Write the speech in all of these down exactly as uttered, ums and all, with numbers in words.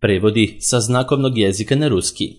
Prevodi sa znakovnog jezika na ruski.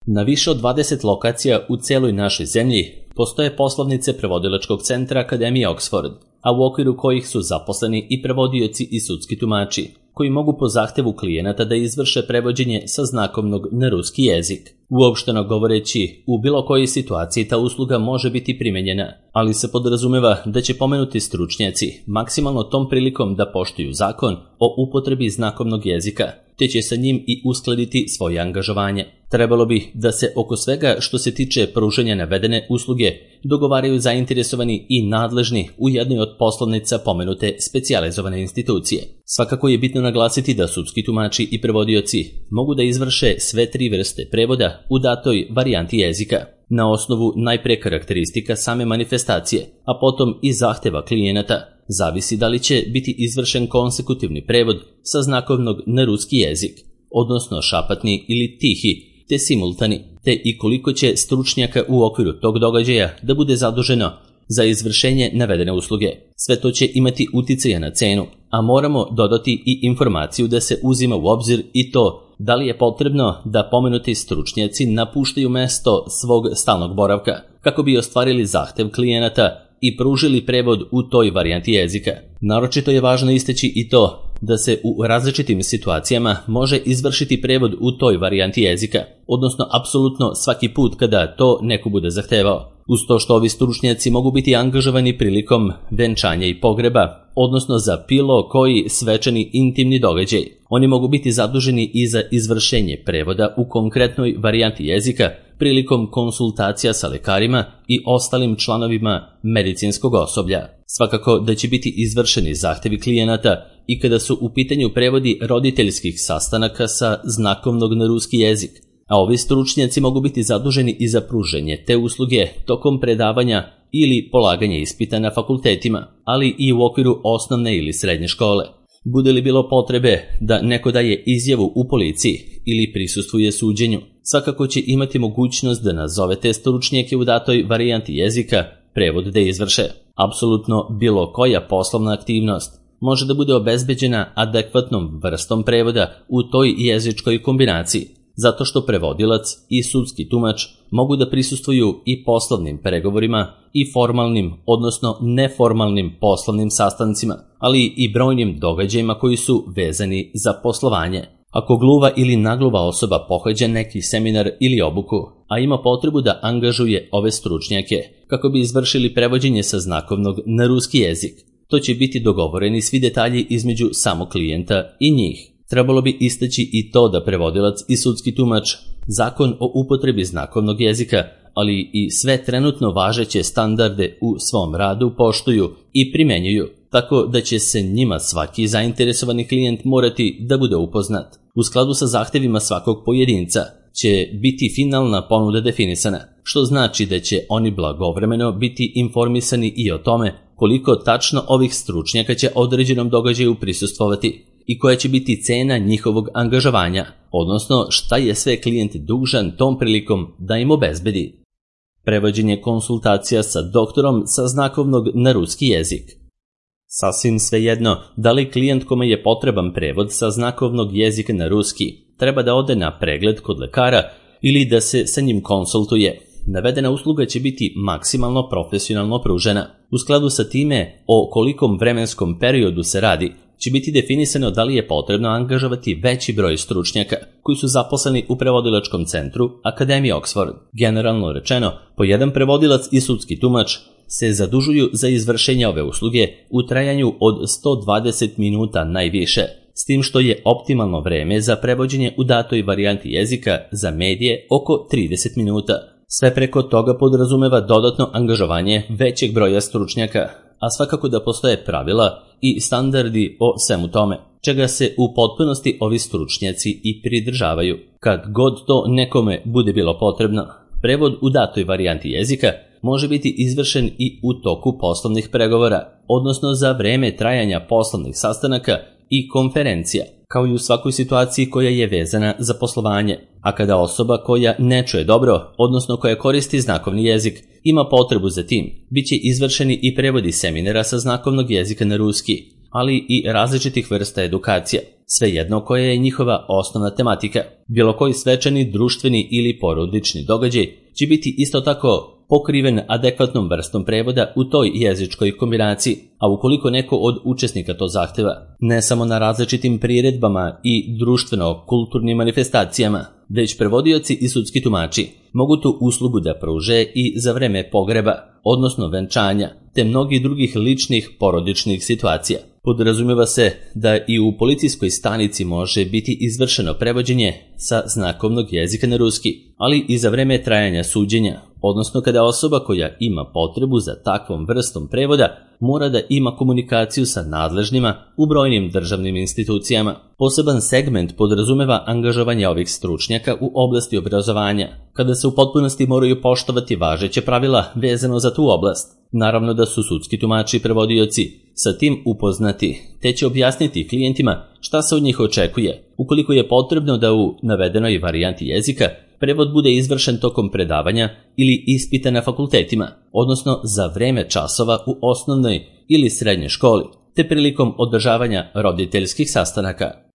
Na više od dvadeset lokacija u celoj našoj zemlji postoje poslovnice prevodilačkog centra Akademije Oxford, a u okviru kojih su zaposleni i prevodioci i sudski tumači, koji mogu po zahtevu klijenata da izvrše prevođenje sa znakovnog na ruski jezik. Uopšteno govoreći, u bilo kojoj situaciji ta usluga može biti primenjena, ali se podrazumeva da će pomenuti stručnjaci maksimalno tom prilikom da poštuju zakon o upotrebi znakovnog jezika, te će sa njim i uskladiti svoje angažovanje. Trebalo bi da se oko svega što se tiče pružanja navedene usluge dogovaraju zainteresovani i nadležni u jednoj od poslovnica pomenute specijalizovane institucije. Svakako je bitno naglasiti da sudski tumači i prevodioci mogu da izvrše sve tri vrste prevoda u datoj varijanti jezika, na osnovu najpre karakteristika same manifestacije, a potom i zahteva klijenata. Zavisi da li će biti izvršen konsekutivni prevod sa znakovnog na ruski jezik, odnosno šapatni ili tihi, te simultani, te i koliko će stručnjaka u okviru tog događaja da bude zaduženo za izvršenje navedene usluge. Sve to će imati uticaja na cenu, a moramo dodati i informaciju da se uzima u obzir i to da li je potrebno da pomenuti stručnjaci napuštaju mesto svog stalnog boravka kako bi ostvarili zahtev klijenata i pružili prevod u toj varijanti jezika. Naročito je važno istaći i to da se u različitim situacijama može izvršiti prevod u toj varijanti jezika, odnosno apsolutno svaki put kada to neko bude zahtevao. Uz to što ovi stručnjaci mogu biti angažovani prilikom venčanja i pogreba, odnosno za bilo koji svečani intimni događaj. Oni mogu biti zaduženi i za izvršenje prevoda u konkretnoj varijanti jezika prilikom konsultacija sa lekarima i ostalim članovima medicinskog osoblja. Svakako da će biti izvršeni zahtevi klijenata i kada su u pitanju prevodi roditeljskih sastanaka sa znakovnog na ruski jezik, a ovi stručnjaci mogu biti zaduženi i za pruženje te usluge tokom predavanja ili polaganja ispita na fakultetima, ali i u okviru osnovne ili srednje škole. Bude li bilo potrebe da neko daje izjavu u policiji ili prisustvuje suđenju, svakako će imati mogućnost da nazove te stručnjake u datoj varijanti jezika prevod da izvrše. Apsolutno bilo koja poslovna aktivnost može da bude obezbeđena adekvatnom vrstom prevoda u toj jezičkoj kombinaciji, zato što prevodilac i sudski tumač mogu da prisustvuju i poslovnim pregovorima i formalnim, odnosno neformalnim poslovnim sastancima, ali i brojnim događajima koji su vezani za poslovanje. Ako gluva ili nagluva osoba pohađa neki seminar ili obuku, a ima potrebu da angažuje ove stručnjake kako bi izvršili prevođenje sa znakovnog na ruski jezik, to će biti dogovoreni svi detalji između samog klijenta i njih. Trebalo bi istaći i to da prevodilac i sudski tumač zakon o upotrebi znakovnog jezika, ali i sve trenutno važeće standarde u svom radu poštuju i primenjuju, tako da će se njima svaki zainteresovani klijent morati da bude upoznat. U skladu sa zahtevima svakog pojedinca će biti finalna ponuda definisana, što znači da će oni blagovremeno biti informisani i o tome koliko tačno ovih stručnjaka će određenom događaju prisustvovati i koja će biti cena njihovog angažovanja, odnosno šta je sve klijent dužan tom prilikom da im obezbedi. Prevođenje konsultacija sa doktorom sa znakovnog na ruski jezik. Sasvim svejedno da li klijent kome je potreban prevod sa znakovnog jezika na ruski treba da ode na pregled kod lekara ili da se sa njim konsultuje. Navedena usluga će biti maksimalno profesionalno pružena. U skladu sa time o kolikom vremenskom periodu se radi, će biti definisano da li je potrebno angažovati veći broj stručnjaka koji su zaposleni u prevodilačkom centru Akademije Oxford. Generalno rečeno, po jedan prevodilac i sudski tumač se zadužuju za izvršenje ove usluge u trajanju od sto dvadeset minuta najviše, s tim što je optimalno vreme za prevođenje u datoj varijanti jezika za medije oko trideset minuta. Sve preko toga podrazumeva dodatno angažovanje većeg broja stručnjaka, a svakako da postoje pravila i standardi o svemu tome, čega se u potpunosti ovi stručnjaci i pridržavaju. Kad god to nekome bude bilo potrebno, prevod u datoj varijanti jezika može biti izvršen i u toku poslovnih pregovora, odnosno za vreme trajanja poslovnih sastanaka i konferencija, kao i u svakoj situaciji koja je vezana za poslovanje. A kada osoba koja ne čuje dobro, odnosno koja koristi znakovni jezik, ima potrebu za tim, bit će izvršeni i prevodi seminara sa znakovnog jezika na ruski, ali i različitih vrsta edukacija. svejedno koja je njihova osnovna tematika. Bilo koji svečani, društveni ili porodični događaj će biti isto tako pokriven adekvatnom vrstom prevoda u toj jezičkoj kombinaciji, a ukoliko neko od učesnika to zahteva, ne samo na različitim priredbama i društveno-kulturnim manifestacijama, već prevodioci i sudski tumači mogu tu uslugu da pruže i za vreme pogreba, odnosno venčanja, te mnogih drugih ličnih porodičnih situacija. Podrazumeva se da i u policijskoj stanici može biti izvršeno prevođenje sa znakovnog jezika na ruski, ali i za vreme trajanja suđenja, odnosno kada osoba koja ima potrebu za takvom vrstom prevoda mora da ima komunikaciju sa nadležnima u brojnim državnim institucijama. Poseban segment podrazumeva angažovanje ovih stručnjaka u oblasti obrazovanja, kada se u potpunosti moraju poštovati važeće pravila vezano za tu oblast. Naravno da su sudski tumači i prevodioci sa tim upoznati, te će objasniti klijentima šta se od njih očekuje, ukoliko je potrebno da u navedenoj varijanti jezika prevod bude izvršen tokom predavanja ili ispita na fakultetima, odnosno za vreme časova u osnovnoj ili srednjoj školi, te prilikom održavanja roditeljskih sastanaka.